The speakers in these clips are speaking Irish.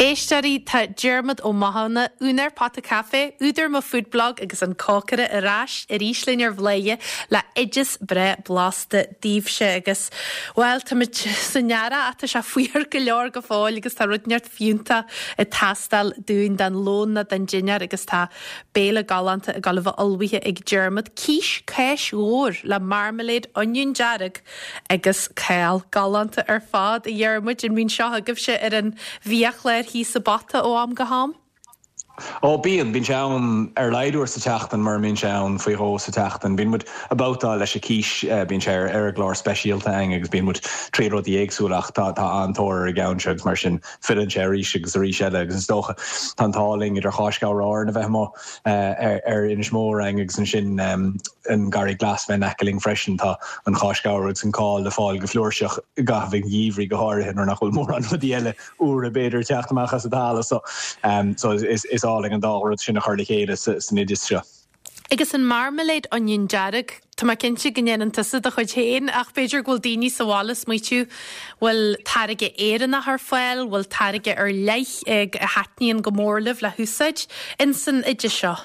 Éisteoirí, tá Diarmuid Ó Mathúna, úinéir Pota Caife, údar Mo Food Blog agus an cócaire ar ais arís linn ar Bhladhaire le oideas breá blasta daoibhse agus, bhuel, táimid san earrach ach tá sé fuar go leor go fóill agus tá rud inteacht fiúntach ag teastáil dúinn don lón nó don dinnéar agus tá béile galánta ag dul a bheith ullmhaithe ag Diarmuid, cís cáis mhór le marmalade oinniún dearg Agus cál galánta ar fad, a Dhiarmuid, an mbíonn seo agaibhse ar an bhiachlár thíos i bPota ó am go ham? Ó, bíonn. Bíonn sé ann ar a laghad uair sa tseachtain, mura mbíonn sé ann faoi dhó sa tseachtain. Bíonn muid ag babhtáil leis an cís, bíonn sé ar an gclár speisialta againn agus bíonn muid triail rudaí éagsúla ach tá an-tóir ar an gceann seo agus mar sin filleann sé arís agus arís eile agus is dócha tá an t-ádh linn idir Cháis Ghabhar Árann a bheith amuigh ar Inis Mór againn agus ansin an Garraí Glas bheith in aice linn freisin. Tá an cháis ghabhair agus an cál le fáil go flúirseach i gcaitheamh an gheimhridh go háirithe nuair nach bhfuil mórán rudaí eile úra b'fhéidir ag teacht amach as an talamh. So is álainn an dá rud sin a chur le chéile san oideas seo. Agus an marmalade oinniún dearg, tá mé cinnte go ndéanann tusa do chuid féin ach b'fhéidir go bhfuil daoine sa bhaile ag smaoitiú, bhfuil táirge Éireannach ar fáil, bhfuil táirge ar leith a thaitníonn go mór libh le húsáid ins an oideas seo?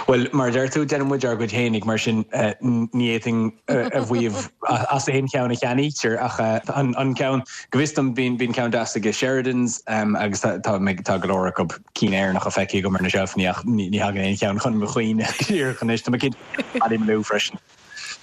Bhuel, mar a deir tú, déanann muid ár gcuid fhéinig, mar sin ní fhéadfainn a mhaíomh as aon cheann a cheannaítear ach an ceann, go bhfios dom, bíonn ceann deas aige Sheridans agus tá go leor acu cinn Éireannacha feicthe agam ar na seilfeanna ach ní thagann aon cheann chun mo chuimhne go díreach anois. Tá mé cinnte Ballymaloe freisin.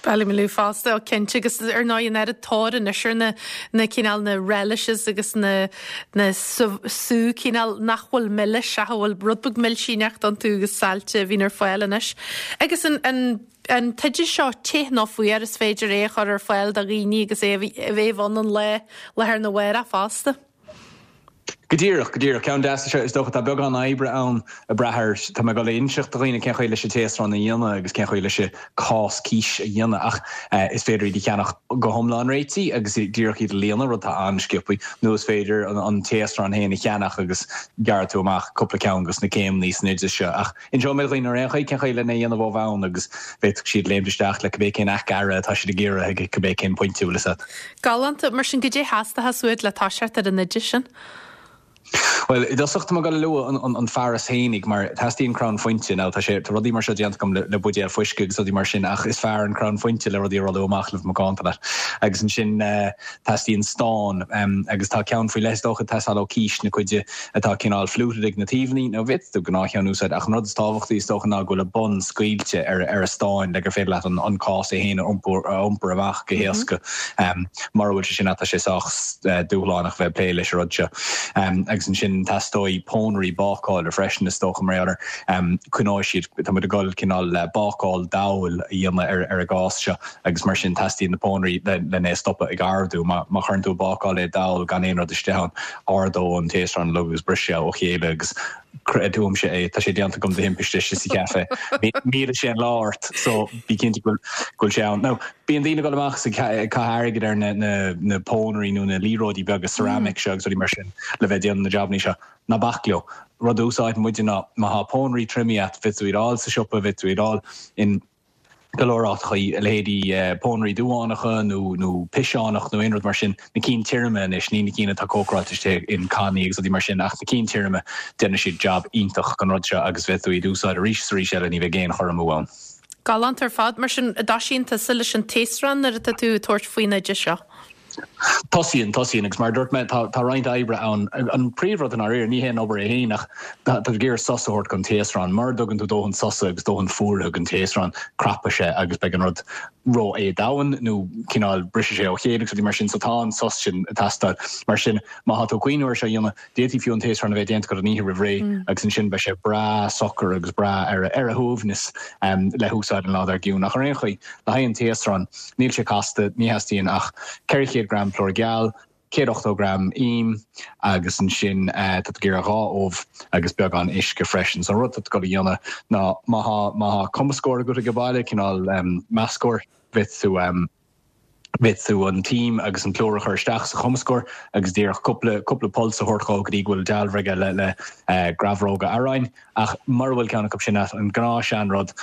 Ballymaloe fosta, ó cinnte, agus ar ndóigh an oiread tóir anois ar na na cineál na relishes agus na na sú cineál nach bhfuil milis ach a bhfuil rud beag milsíneacht iontu agus saillte a bhíonn ar fáil anois. Agus an an an t-oideas seo te nó fuar is féidir é a chur ar fáil do dhaoine agus é a bheith ann an lá lá arna mhárach fosta. Go díreach, go díreach. Ceann deas é seo, is dócha. Tá beagán oibre ann ag brath ar, tá mé ag dul a inseacht do dhaoine cén chaoi leis an taosrán a dhéanamh agus cén chaoi leis an cás císe a dhéanamh ach is féidir iad a cheannach go hiomlán réitithe agus díreach iad a líonadh, rud atá an-sciobtha, nó is féidir an taosrán féin a cheannach agus gearrfaidh tú amach cúpla ceann dos na céimeanna san oideas seo ach Inseoidh mé do dhaoine ar aon chaoi cén chaoi lena dhéanamh ó bhonn agus bhféadfadh siad léimt isteach le cibé cén earra atá siad ag iarraidh ag cibé cén pointe, bhfuil fhios a't. Galánta. Mar sin, goidé theastóchas uait le toiseacht ar an oideas sin? Bhuel, i dtosach tá mé ag dul a lua an fearas fhéinig mar teastaíonn crann fuinte. Now tá sé, tá rudaí mar seo déanta agam le buidéal fuisce agus rudaí mar sin ach is fearr an crann fuinte le rudaí a rolladh amach le bheith macánta leat. Agus ansin teastaíonn stán agus tá ceann faoi leith is dócha ag teastáil ó cís na cuide atá cineál fluted ag na taobhanna, nó bhféadfadh tú gnáthcheann a úsáid, ach an rud is tábhachtaí is dócha ná go bhfuil a bun scaoilte ar ar a stáin le gur féidir leat an cás é féin a iompar amach go héasca. Mura bhfuil sé sin a't tá sé sách dúshlánach bheith ag plé leis an rud seo. Agus ansin teastóidh pónairí bácála freisin is dócha mar gheall ar coinneoidh siad, tá muid ag dul cineál bácáil dall a dhéanamh ar ar an gcás seo. agus mar sin teastaíonn na pónairí lena é a stopadh ag ardú. Má chuireann tú ag bácáil é dall gan aon rud istigh ann, ardóidh an taosrán uilig agus brisfidh sé ó chéile agus creid uaimse é, tá sé déanta agam de thimpiste istigh sa chaife. Millfidh sé an lá ort so bí cinnte go bhfuil sé ann. Now, bíonn daoine ag dul amach is ag caitheamh airgid ar na pónairí nó na liathróidí beaga ceramic seo agus rudaí mar sin le bheith ag déanamh na jabannaí seo. Ná bac leo. Rud a úsáideann muide ná má thá pónairí triomaithe a't, bhféadfadh tú iad a fháil sa siopa, bhféadfadh tú iad a fháil in. go leor áiteachaí, a leithéidí pónairí duánacha nó nó piseánach nó aon rud mar sin, na cinn tirime anois, ní na cinn atá cócaráilte istigh in cannaí agus rudaí mar sin ach na cinn tirime, déanann siad jab iontach don rud seo agus bhféadfadh tú iad a úsáid arís is arís eile, ní bheidh aon chur amú ann. Galánta ar fad. Mar sin, an dtosaíonn tusa leis an taosrán nuair atá tú ag tabhairt faoin oideas seo? Tosaíonn, tosaíonn, agus mar a dúirt mé, tá, tá roinnt oibre ann. An príomhrud i ndáiríre, ní hé an obair é féin ach tá tú ag iarraidh sos a thabhairt don taosrán. Mura dtugann tú dóthain sosa agus dóthain fuaraithe don taosrán, crapfaidh sé agus beidh an rud ró-éadomhain nó cineál brisfidh sé ó chéile agus rudaí mar sin. So tá an sos sin ag teastáil. Mar sin, má tá tú ag cuimhniú ar seo a dhéanamh, D'fhéadfaí fiú an taosrán a bheith déanta agat an oíche roimh ré agus ansin beidh sé breá socair agus breá ar a shuaimhneas le húsáid an lá dár gcionn. Ach ar aon chaoi, le haghaidh an taosráin, níl sé casta, ní theastaíonn ach 400 gram plúr geal, 180 gram im agus ansin tá tú ag iarraidh dhá ubh agus beagán uisce freisin. So an rud atá tú ag dul a dhéanamh ná má thá má thá cumascóir agat ag baile, cineál meascóir, bhféadfadh tú Bhféadfadh tú an t-im agus an plúr a chur isteach sa chumascóir agus díreach cúpla, cúpla pulse a thabhairt dhó go dtí go bhfuil dealramh aige le, le grabhróga aráin. Ach mura bhfuil ceann acu sin a't, an gnáth sean rud.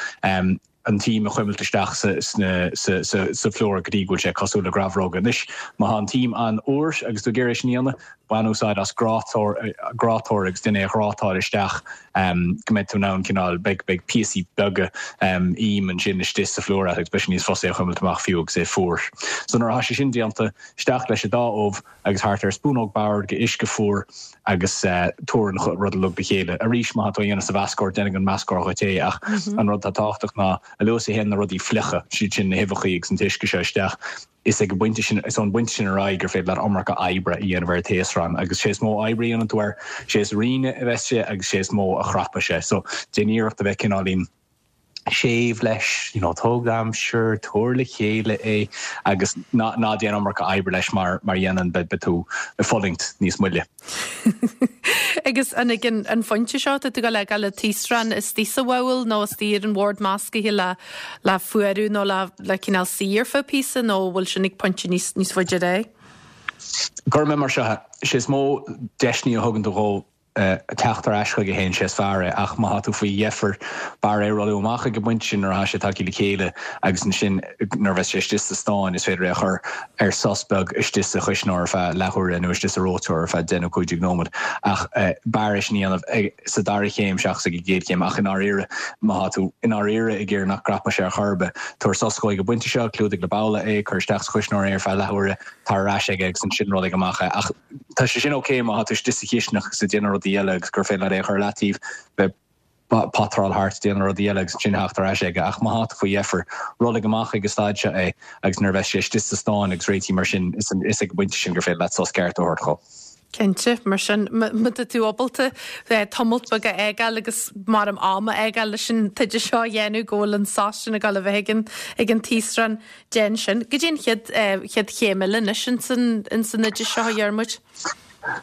an t-im a chuimilt isteach sa phlúr go dtí go bhfuil sé cosúil le grabhróga. Anois, má tá an t-im an-fhuar agus tú ag iarraidh é sin a dhéanamh, bain úsáid as grátóir, grátóir agus déan é a ghrátáil isteach go mbeidh tú in ann cineál, beidh, beidh píosaí beaga im ansin istigh sa phlúr agat agus beidh sé níos fusa é a chuimilt amach fiú agus é fuar. So nuair atá sé sin déanta, isteach leis an dá ubh agus thart ar spúnóg boird de uisce fuar agus tabhair an rud uilig le chéile. Arís, má tá tú á dhéanamh sa mheascóir, déanfaidh an meascóir dhuit é ach an rud atá tábhachtach ná a luaithe is a théann na rudaí fliucha, siad sin na huibheachaí agus an t-uisce seo isteach, is ag an bpointe sin, is ón bpointe sin ar aghaidh gur féidir leat iomarca oibre a dhéanamh ar an taosrán agus sé is mó oibre a dhéanann tú air, sé is righinne a bheas sé agus sé is mó a chrapfaidh sé. So, déan iarracht a bheith cineáilín séimh leis, you know, tóg d'aimsir, tabhair le chéile é agus ná, ná déan iomarca oibre leis mar, mar dhéanann, beidh, beidh tú ag fulaingt níos moille. Agus an ag an phointe seo tá tú ag dul a fhágáil an taosrán istigh sa bhabhal nó istigh ar an bhord meascaithe le le fuarú nó le le cineál suí ar feadh píosa nó an bhfuil sin ag pointe níos níos faide ar aghaidh? Cuirfidh mé mar seo é, sé is mó deiseanna a thugann tú dhó teacht ar ais chuige féin, sé is fearr é, ach má tá tú faoi dheifir, b'fhearr é a rolladh amach ag an bpointe sin nuair atá sé tagtha le chéile agus ansin nuair a bheas sé istigh sa stán is féidir é a chur ar sos beag istigh sa chuisneoir ar feadh leathuaire nó istigh sa reoiteoir ar feadh 10 nó 15 nóiméad. Ach b'fhearr é sin a dhéanamh sa dara chéim seachas ag an gcéad chéim. Ach i ndáiríre, má tá tú i ndáiríre ag iarraidh nach gcrapfaidh sé ar chor ar bith, tabhair sos dhó ag an bpointe seo, clúdaigh le babhla é, cuir isteach sa chuisneoir é ar feadh leathuaire, tar ar ais aige agus ansin rollaigh amach é. Ach tá sé sin ok má tá tú istigh sa chisteanach agus ag déanamh rudaí eile agus gur féidir leat é a chur i leataobh, bheith patráil thart, déanamh rudaí eile agus ansin theacht ar ais aige. Ach má tá tú faoi dheifir, rollaigh amach ag an staid seo é agus nuair a bheas sé istigh sa stán agus réitithe mar sin, is ag an bpointe sin gur féidir leat sos ceart a thabhairt dhó. Cinnte, mar sin, má tá tú ábalta tamalt beag a fhágáil agus mar am a fhágáil leis an t-oideas seo a dhéanamh go bhfuil an sos sin ag dul a bheith ag an ag an taosrán, déan sin. Goidé an chéad chéad chéim eile anois ins an ins an oideas seo, a Dhiarmuid?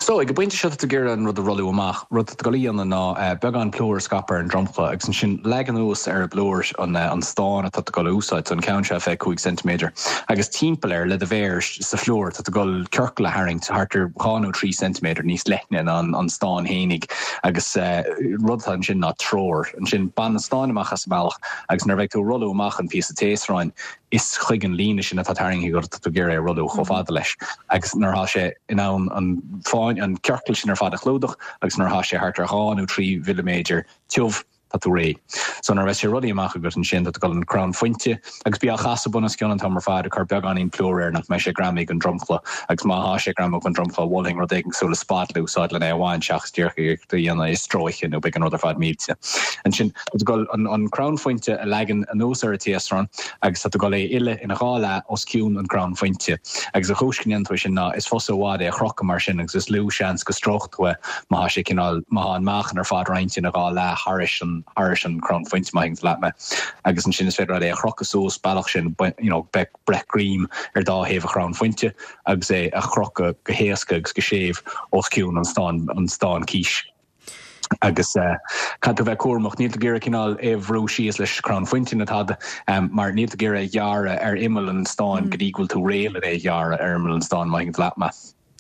So, ag an bpointe seo tá tú ag iarraidh an rud a rolladh amach. Rud atá tú ag dul a dhéanamh ná beagán plúir a scaipeadh ar an dromchla agus ansin leag anuas ar an bplúr an stán atá tú ag dul a úsáid, so an ceann seo 25 ceintiméadar, agus timpeall air le do mhéar sa phlúr tá tú ag dul ciorcal a tharraingt thart ar 2 nó 3 ceintiméadar níos leithne ná an stán fhéinig agus rud atá ansin ná treoir. Ansin bain an stán amach as an mbealach agus nuair a bheidh tú ag rolladh amach an píosa taosráin, is chuig an líne sin atá tarraingthe agat atá tú ag iarraidh é a rolladh chomh fada leis agus nuair atá sé in ann an fáinne, an ciorcal sin ar fad a chlúdach agus nuair atá sé thart ar 2 nó 3 mhilliméadar tiubh, tá tú réidh. So nuair a bheas sé rollaithe amach agat ansin, tá tú ag dul an crann fuinte agus bí á chasadh bunoscionn an t-am ar fad, ag cur beagáinín plúir air nach mbeidh sé greamaithe don dromchla agus má thá sé greamaithe don dromchla, mholfainn rud éigin cosúil le spatula a úsáid len é a bhaint seachas díreach é a dhéanamh i stróice nó beidh an rud ar fad millte. Ansin. Tá tú ag dul an crann fuinte a leagan anuas ar an taosrán agus tá tú ag dul é a fhilleadh ina dhá leath os cionn an crann fuinte. Agus an chúis go ndéanann tú é sin ná is fusa i bhfad é a chrocadh mar sin agus is lú seans go stróicfidh tú é má thá sé cineál, má thá an meáchan ar fad roinnte ina dhá leath thairis an, thairis an crann fuinte má thuigeann tú leat mé. Agus ansin is féidir leat é a chrocadh suas bealach sin, you know, beidh breith greim ar dá thaobh an chrann fuinte agus é a chrocadh go héasca agus go séimh os cionn an stán, an stán cíos. Agus caithfidh tú bheith cúramach, níl tú ag iarraidh cineál é a bhrú síos leis crann fuinte ná tada, mar níl tú ag iarraidh é a ghearradh ar imeall an stáin go dtí go bhfuil tú réidh le é a ghearradh ar imeall an stáin, má thuigeann tú leat mé.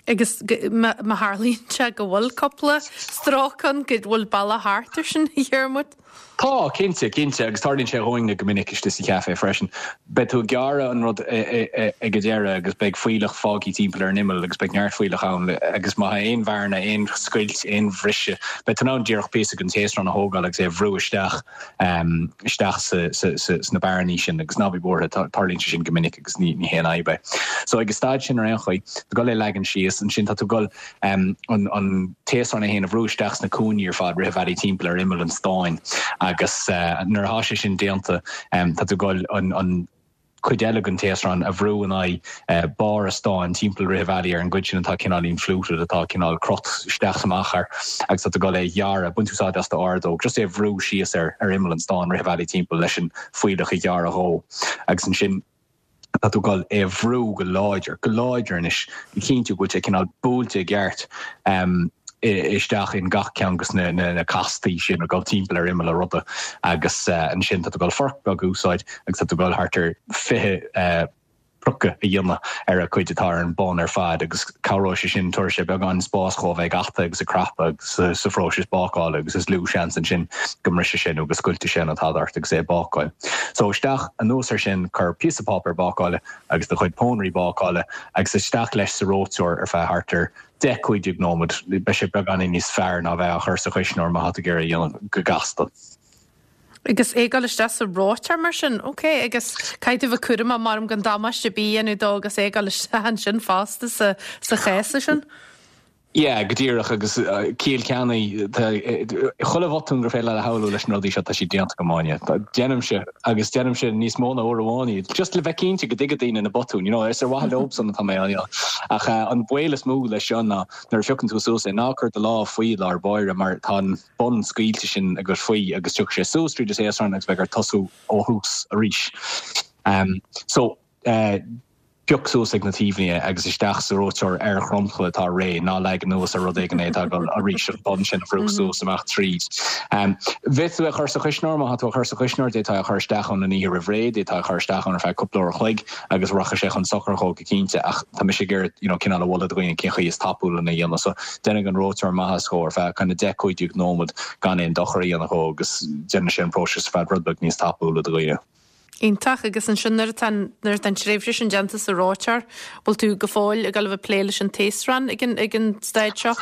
Agus má tharlaíonn sé go bhfuil cúpla stróc ann, go bhfuil bealach thart ar sin, a Dhiarmuid? Tá, cinnte, cinnte, agus tarlaíonn sé dhúinne go minic istigh sa chaife freisin. Beidh tú ag gearradh an rud ag an deireadh agus beidh fuílleach fágtha timpeall ar an imeall agus beidh neart fuílleach ann agus má tá aon bhearna, aon scoilt, aon bhriseadh, beidh tú in ann díreach píosa den taosrán a thógáil agus é a bhrú isteach isteach sna bearnaí sin agus ná bí buartha, tarlaíonn sé sin go minic agus ní haon fhadhb é. So ag an staid sin ar aon chaoi, tá tú ag dul é a leagan síos, ansin tá tú ag dul an taosrán é féin a bhrú isteach sna cúinní ar fad, rith an bhealaigh timpeall ar imeall an stáin agus nuair atá sé sin déanta tá tú ag dul an cuid eile den taosrán a bhrú in aghaidh barr an stáin timpeall rith an bhealaigh ar an gcuid sin atá cineáilín fluted, atá cineál crot isteach is amach air agus tá tú ag dul é a ghearradh, baint úsáid as d'ordóg, just é a bhrú síos ar imeall an stáin rith an bhealaigh timpeall leis an fuílleach a ghearradh dhó agus ansin. Tá tú ag dul é a bhrú go láidir, go láidir anois, le cinntiú go bhfuil sé cineál buailte i gceart isteach in gach ceann de na castaí sin ag dul timpeall ar imeall an ruda agus ansin tá tú ag dul forc beag a úsáid agus tá tú ag dul thart ar 20. Croiceadh a dhéanamh ar an chuid atá ar an bun ar fad agus cabhróidh sé sin, tabharfaidh sé beagán spáis dhó a bheith ag atadh agus ag crapadh agus sa phróiseas bácála agus is lú seans ansin go mbrisfidh sé nó go scoiltfidh sé nó tada ort agus é ag bácáil. So isteach anuas ar sin cuir píosa páipéir bácála agus do chuid pónairí bácála agus isteach leis sa reoiteoir ar feadh thart ar 10, 15 nóiméad. Beidh sé beagáinín níos fearr ná bheith á chur sa chuisneoir má tá tú ag iarraidh a dhéanamh go gasta. Agus é ag dul isteach sa reoiteoir mar sin? Ok, agus caithfidh tú bheith cúramach maram gan damáiste ar bith a dhéanamh dó agus é ag dul isteach ansin fosta sa sa chéasadh sin? Yeah, go díreach, agus ciall ceannaigh, tá chuile bhotún gur féidir leat a shamhlú leis na rudaí seo, tá siad déanta agam, Áine. Déanaimse, agus déanaimse níos mó ná uair amháin iad, just le bheith cinnte go dtuigfidh daoine na botúin, you know, is ar mhaithe leobsan atá mé á dhéanamh. Ach an baol is mó leis seo ná nuair a phiocann tú suas é, ná cuir do lámh faoi i lár báire mar tá an, bun scaoilte sin agat faoi agus tiocfaidh sé suas tríd an taosrán agus beidh ort tosú ó thús arís. So, pioc suas ag na taobhanna é agus isteach sa reoiteoir ar dhromchla atá réidh, ná leag anuas ar rud éigin é atá ag dul arís an bun sin a bhrú suas amach tríd. Bhféadfá tú é a chur sa chuisneoir, má tá tú á chur sa chuisneoir, d'fhéadfá é a chur isteach ann an oíche roimh ré, d'fhéadfá é a chur isteach ann ar feadh cúpla uair a chloig agus rachaidh sé chun sochair dhó go cinnte ach tá mise ag iarraidh you know cineál a mholadh do dhaoine cén chaoi is tapúla lena dhéanamh so déanfaidh an reoiteoir maitheas dhó ar feadh kind of 10, 15 nóiméad gan aon dochar a dhéanamh dhó agus déanann sé an próiseas ar fad rud beag níos tapúla do dhaoine. Iontach, agus ansin nuair atá an nuair atá an tréimhse sin déanta sa reoiteoir, bhfuil tú go fóill ag dul a bheith ag plé leis an taosrán ag an ag an staid seo?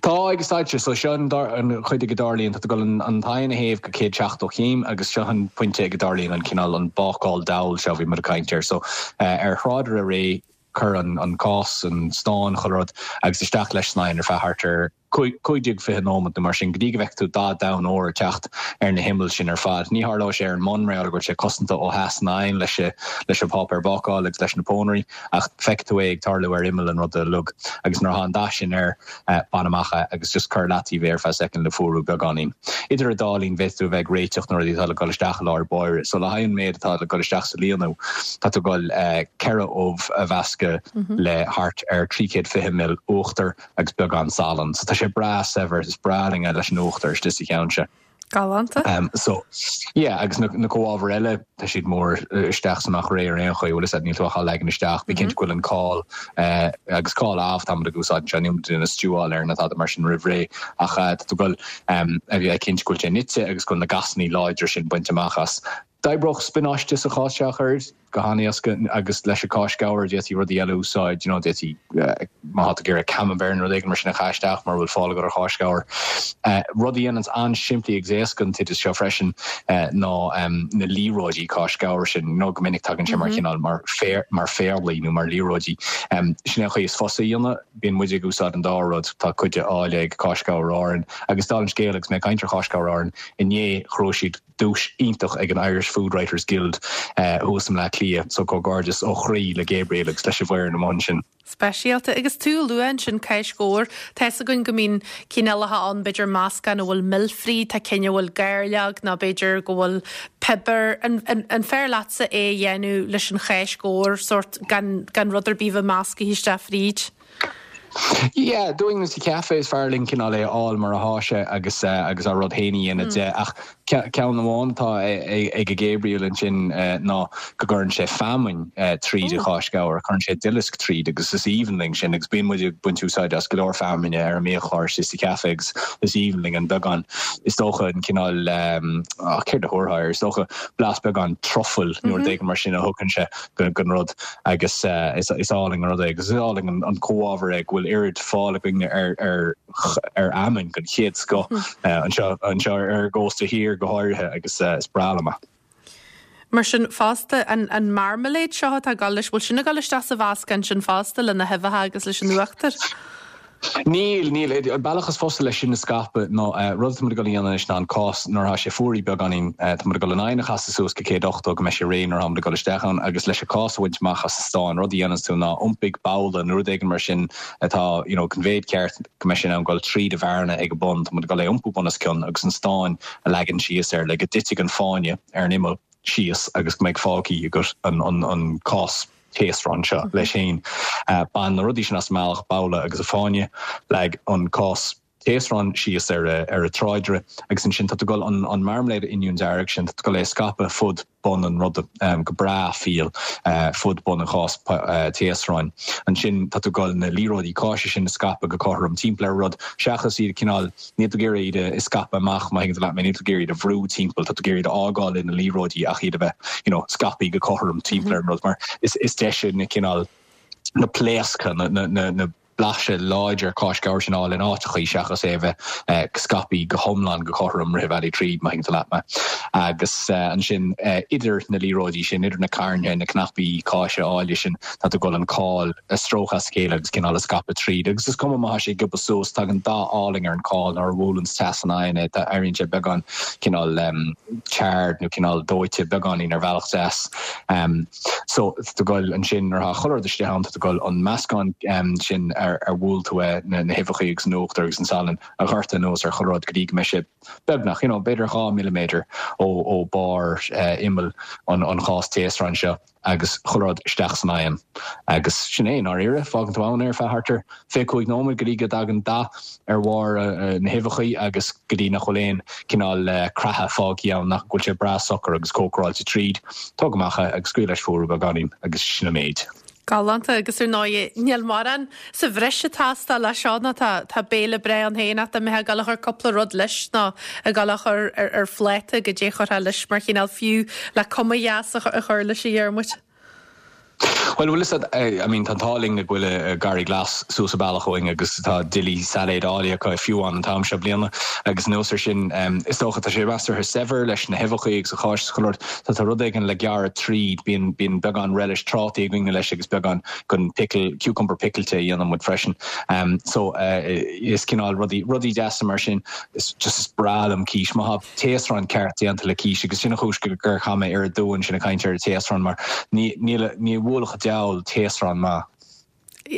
Tá, ag an staid seo. So seo an chuid ag a dtarlaíonn, tá tú ag dul an t-oigheann a théamh go 170 céim agus seo an pointe ag a dtarlaíonn an cineál, an bácáil dall seo a bhí muid ag caint air. So ar thráidire réidh, cuir an cás, an stán, chuile rud agus isteach leis san oigheann ar feadh thart ar 15, 20 nóiméad nó mar sin go dtí go bhfeicfidh tú dath donn óir ag teacht ar na himill sin ar fad. Ní tharlóidh sé ar an mbun mar gheall go bhfuil sé cosanta ó theas an oighinn leis an bpáipéar bácála agus leis na pónairí. Ach feicfidh tú é ag tarlú ar imeall an ruda uilig. Agus nuair atá an dath sin air, bain amach é agus just cuir leataobh é ar feadh soicind le fuarú beagáinín. Idir an dá linn, bhféadfadh tú a bheith ag réiteach na rudaí atá le dul isteach i lár báire. So le haghaidh an méid atá le dul isteach sa líonadh, tá tú ag dul 4 ubh a mheascadh le thart ar 320 ml uachtair agus beagán salainn. So tá sé breá saibhir, is breá linn é leis an uachtar istigh sa cheann seo. Galánta. So, yeah, agus na comhábhair eile, tá siad mór isteach is amach réidh ar aon chaoi, bhfuil fhios agat, níl tú ach á leagan isteach. Bí cinnte go bhfuil an cál, agus cál amh tá muid ag úsáid anseo, níl muid ag déanamh stew-áil air ná tada mar sin roimh ré, ach tá tú ag dul a bheith cinnte go bhfuil sé nite agus go bhfuil na gasannaí láidre sin bainte amach as. D'oibreodh spionáiste sa chás seo a chur go han-éasca agus leis an cáis ghabhair d'fhéadfaí rudaí eile a úsáid, you know, d'fhéadfaí má tá tú ag iarraidh camembert nó rud éigin mar sin a chaitheamh isteach mura bhfuil fáil agat ar cháis ghabhair. Rud a dhéananns an-simplí agus éasca an t-oideas seo freisin ná na liathróidí cáis ghabhair sin, you know, go minic tagann sé mar chineál mar mar phéarlaí nó mar liathróidí. Sin é an chaoi is fusa a dhéanamh. Bíonn muid ag úsáid an dá rud, tá cuid de áille ag Cáis Ghabhair Árann agus dála an scéil agus mé ag caint ar Cháis Ghabhair Árann inné ghnóthaigh siad duais iontach ag an Irish Food Writers Guild thuas i mBleá Cliath, so comhghairdeas ó chroí le Gabriel agus leis an bhfoireann amuigh ansin. Speisialta. Agus tú a lua ansin cáis ghabhair, tá fhios againn go mbíonn cineálacha ann, b'fhéidir meascán a bhfuil mil fríd, tá cinn a bhfuil gairleog nó b'fhéidir go bhfuil piobar. An, an, an fearr leatsa é a dhéanamh leis an cháis ghabhair, sórt gan, gan rud ar bith a bheith meascaithe isteach fríd? Yeah, dúinn sa chaife is fearr linn cineál é a fháil mar athá sé agus agus ár rud féin a dhéanamh de ach ceann amháin atá ag Gabriel ansin ná go gcuireann sé feamainn tríd an cháis ghabhair, cuireann sé duileasc tríd agus is aoibhinn linn sin agus bíonn muid ag baint úsáid as go leor feamainne ar an mbiachlár istigh sa chaife agus is aoibhinn linn an beagán is dócha an cineál céard a thabharfá air, is dócha blas beagán trufail nó rud éigin mar sin a thugann sé. don rud agus is álainn an rud é agus is álainn an comhábhar é go bhfuil oiread fáil againne ar ar ar fheamainn den chéad scoth anseo anseo ar an gcósta thiar go háirithe agus is breá liom é. Mar sin fosta, an an marmalade seo atá ag dul leis, bhfuil sin ag dul isteach sa mheascán sin fosta le na huibheacha agus leis an uachtar? Níl, níl. An bealach is fusa leis sin a scaipeadh ná, rud atá muid ag dul a dhéanamh anois ná an cás, nuair atá sé fuaraithe beagáinín, tá muid ag dul an oigheann a chasadh suas go 180 go mbeidh sé réidh nuair atá muid ag dul isteach ann agus leis an cás a bhaint amach as an stán, rud a dhéananns tú ná iompaigh babhla nó rud éigin mar sin atá, you know, den mhéid ceart go mbeidh sé in ann dul tríd an bhearna ag an bun, tá muid ag dul é a iompú bunoscionn agus an stán a leagan síos air le go dtitfidh an fáinne ar an imeall síos agus go mbeidh fágtha agat an cás. taosrán seo leis féin. Bain na rudaí sin as an mbealach, babhla agus an fáinne, leag an cás. taosrán síos ar an tráidire agus ansin tá tú ag dul an marmalade oinniún dearg sin, tá tú ag dul é a scaipeadh fud bun an ruda go breá fial fud bun an chás taosráin. Ansin tá tú ag dul na liathróidí cáise sin a scaipeadh go cothrom timpeall ar an rud seachas iad cineál, níl tú ag iarraidh iad a scaipeadh amach má thuigeann tú leat mé, níl tú ag iarraidh iad a bhrú timpeall, tá tú ag iarraidh iad a fhágáil ina liathróidí ach iad a bheith you know scaipthe go cothrom timpeall ar an rud mar is deise na cineál na pléasctha, na blaiseadh láidir cáis gabhair sin a fháil in áiteachaí seachas é a bheith scaipthe go hiomlán go cothrom rith an bhealaigh tríd, má thuigeann tú leat mé. Agus ansin idir na liathróidí sin, idir na cairnthe, na cnaipí cáise áille sin, tá tú ag dul an cál a stróiceadh as a chéile agus cineál a scaipeadh tríd. Agus is cuma má tá sé ag gioba suas, tagann dath álainn ar an cál nuair a bhuaileann teas an oigheann é, éiríonn sé beagán cineál charred nó cineál dóite beagáinín ar bhealach deas. So, tá tú ag goil ansin, nuair atá chuile rud istigh ann, tá tú ag goil an meascán sin ar ar bhuail tú é, na huibheachaí agus an uachtar agus an salann a dhoirteadh anuas ar chuile rud go dtí go mbeidh sé beagnach, you know, b'fhéidir 2 milliméadar ó ó barr imeall an an chás taosráin seo agus chuile rud isteach san oigheann. Agus sin é, i ndáiríre, fágann tú ann é ar feadh thart ar 25 nóiméad go dtí go dtagann dath ar bharr na huibheachaí agus go dtí nach bhfuil aon cineál creatha fágtha ann, nach bhfuil sé breá socair agus cócaráilte tríd. Tóg amach é agus scaoil leis fuarú beagáinín agus sin an méid. Galánta agus ar ndóigh níl mórán sa bhreis ag teastáil leis seo nó tá tá béile breá ann féin ach dá mbeifeá ag dul a chur cúpla rud leis nó ag dul a chur ar ar phláta goidé a chuirfeá leis mar chineál fiú le cuma dheas a chur leis a Dhiarmuid. Bhuel, bhfuil fhios a'd, I mean, tá an t-ádh linn go bhfuil Garraí Glas suas an bealach uainn agus tá duillí sailéid áille acu fiú amháin an t-am seo bliana agus anuas ar sin, is dócha, tá sé measartha saibhir leis na huibheachaí agus an cháis is chuile rud. Tá tá rud éigin le gearradh tríd, bíonn, bíonn beagán relish trátaí againne leis agus beagán den pickle, cucumber picilte a dhéanann muid freisin. So, is cineál rudaí, rudaí deasa mar sin, is just is breá liom cís. Má tá. taosrán ceart déanta le cís agus sin an chúis gur chaith mé oiread dua ansin ag caint ar an taosrán mar ní ní bhuailfeadh diabhal taosrán maith.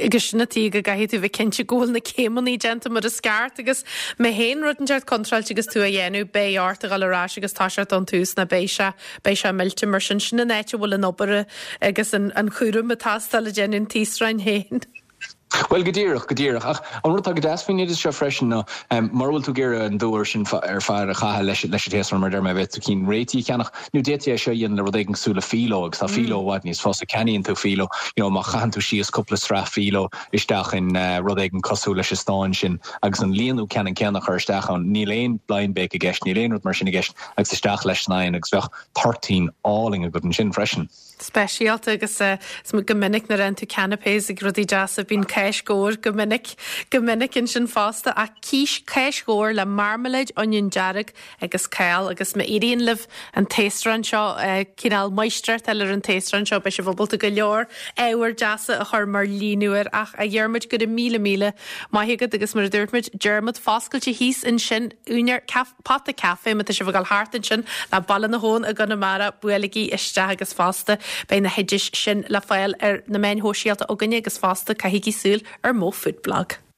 Agus sin an tuige go gcaithfidh tú bheith cinnte go bhfuil na céimeanna déanta mar is ceart agus má théann rud inteacht contráilte agus tú á dhéanamh beidh ort a dhul ar ais agus toiseacht ón tús nó beidh sé beidh sé millte mar sin sin an áit a bhfuil an obair agus an an chúram ag teastáil ag déanamh an taosráin féin. Bhuel, go díreach, go díreach. Ach an rud atá go deas faoin oideas seo freisin ná, mura bhfuil tú ag iarraidh an dua sin ar fad a chaitheamh leis an taosrán, mar a deir mé, b'fhéidir tú cinn réitithe a cheannach, nó d'fhéadfaí é seo a dhéanamh le rud éigin cosúil le filo, agus tá filo i bhfad níos fusa. Ceannaíonn tú filo, you know, má chaitheann tú síos cúpla sraith filo isteach in rud éigin cosúil leis an stán sin, agus an líonadh ceannann céanna a chur isteach ann, níl aon blind bake i gceist, níl aon rud mar sin i gceist, agus isteach leis san oigheann, agus bheadh toirtín álainn agat ansin freisin. speisialta agus go minic nuair a fhaigheann tú canapés ag rudaí deasa bíonn cáis ghabhair go minic go minic ansin fosta ach cís cáis ghabhair le marmaléid oinniún dearg agus cál agus má éiríonn libh an taosrán seo cineál máistreacht a fháil ar an taosrán seo beidh sibh ábalta go leor ábhair deasa a chur mar líonadh air ach a Dhiarmuid go raibh míle míle maith agat agus mar a dúirt muid Diarmuid foscailte thíos ansin úinéir Pota Café, má tá sibh ag dul thart ansin le Baile na hAbhann i gConamara, buailigí isteach agus fosta beidh na hoidis sin le fáil ar na meáin shóisialta againne agus fosta caithigí súil ar Mo Food Blog.